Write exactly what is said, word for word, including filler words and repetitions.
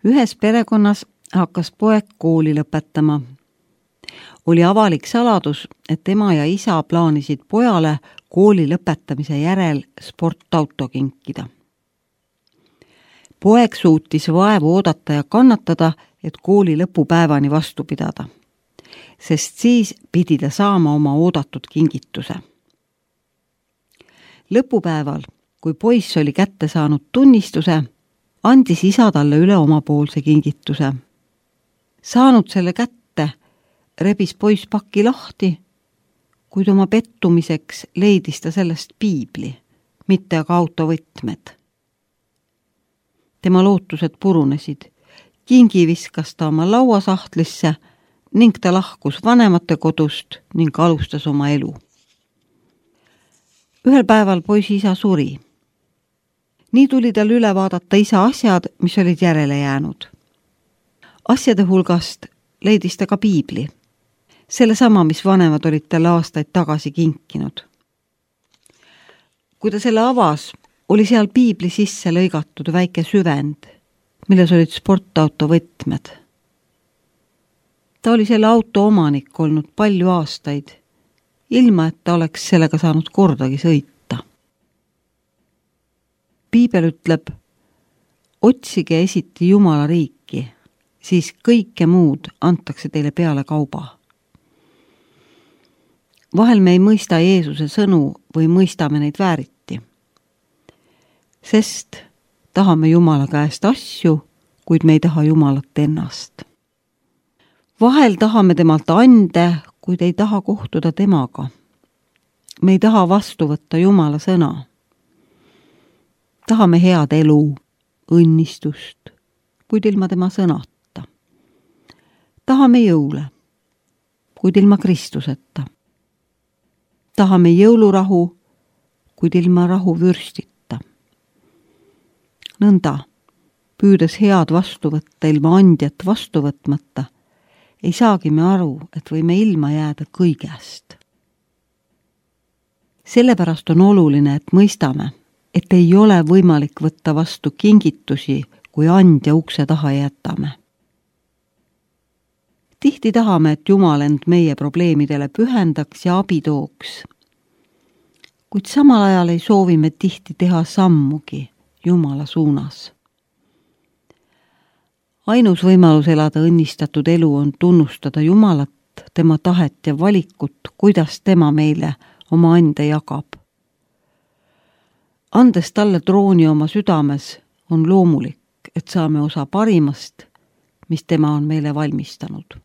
Ühes perekonnas hakkas poeg kooli lõpetama. Oli avalik saladus, et ema ja isa plaanisid pojale kooli lõpetamise järel sportauto kinkida. Poeg suutis vaevu oodata ja kannatada, et kooli lõpupäevani vastu pidada, sest siis pidi ta saama oma oodatud kingituse. Lõpupäeval, kui poiss oli kätte saanud tunnistuse, andis isa talle üle omapoolse kingituse. Saanud selle kätte, rebis poiss paki lahti, kuid oma pettumiseks leidis ta sellest piibli, mitte aga autovõtmed. Tema lootused purunesid, kingi viskas ta oma lauasahtlisse ning ta lahkus vanemate kodust ning alustas oma elu. Ühel päeval poisi isa suri. Nii tuli tal üle vaadata isa asjad, mis olid järele jäänud. Asjade hulgast leidis ta ka piibli, selle sama, mis vanemad olid talle aastaid tagasi kinkinud. Kui ta selle avas, oli seal piibli sisse lõigatud väike süvend, milles olid sportauto võtmed. Ta oli selle auto omanik olnud palju aastaid, ilma et ta oleks sellega saanud kordagi sõita. Piibel ütleb, otsige esiti Jumala riiki, siis kõike muud antakse teile peale kauba. Vahel me ei mõista Jeesuse sõnu või mõistame neid vääriti, sest tahame Jumala käest asju, kuid me ei taha Jumalat ennast. Vahel tahame temalt ande, kuid ei taha kohtuda temaga. Me ei taha vastu võtta Jumala sõna. Tahame head elu, õnnistust, kuid ilma tema sõnata. Tahame jõule, kuid ilma Kristuseta. Tahame jõulurahu, kuid ilma rahuvürstita. Nõnda, püüdes head vastu võtta ilma andjat vastu võtmata, ei saagi me aru, et võime ilma jääda kõigest. Sellepärast on oluline, et mõistame, et ei ole võimalik võtta vastu kingitusi, kui andja ukse taha jätame. Tihti tahame, et Jumal end meie probleemidele pühendaks ja abi tooks. Kuid samal ajal ei soovi me tihti teha sammugi Jumala suunas. Ainus võimalus elada õnnistatud elu on tunnustada Jumalat, tema tahet ja valikut, kuidas tema meile oma ande jagab. Andes talle trooni oma südames on loomulik, et saame osa parimast, mis tema on meile valmistanud.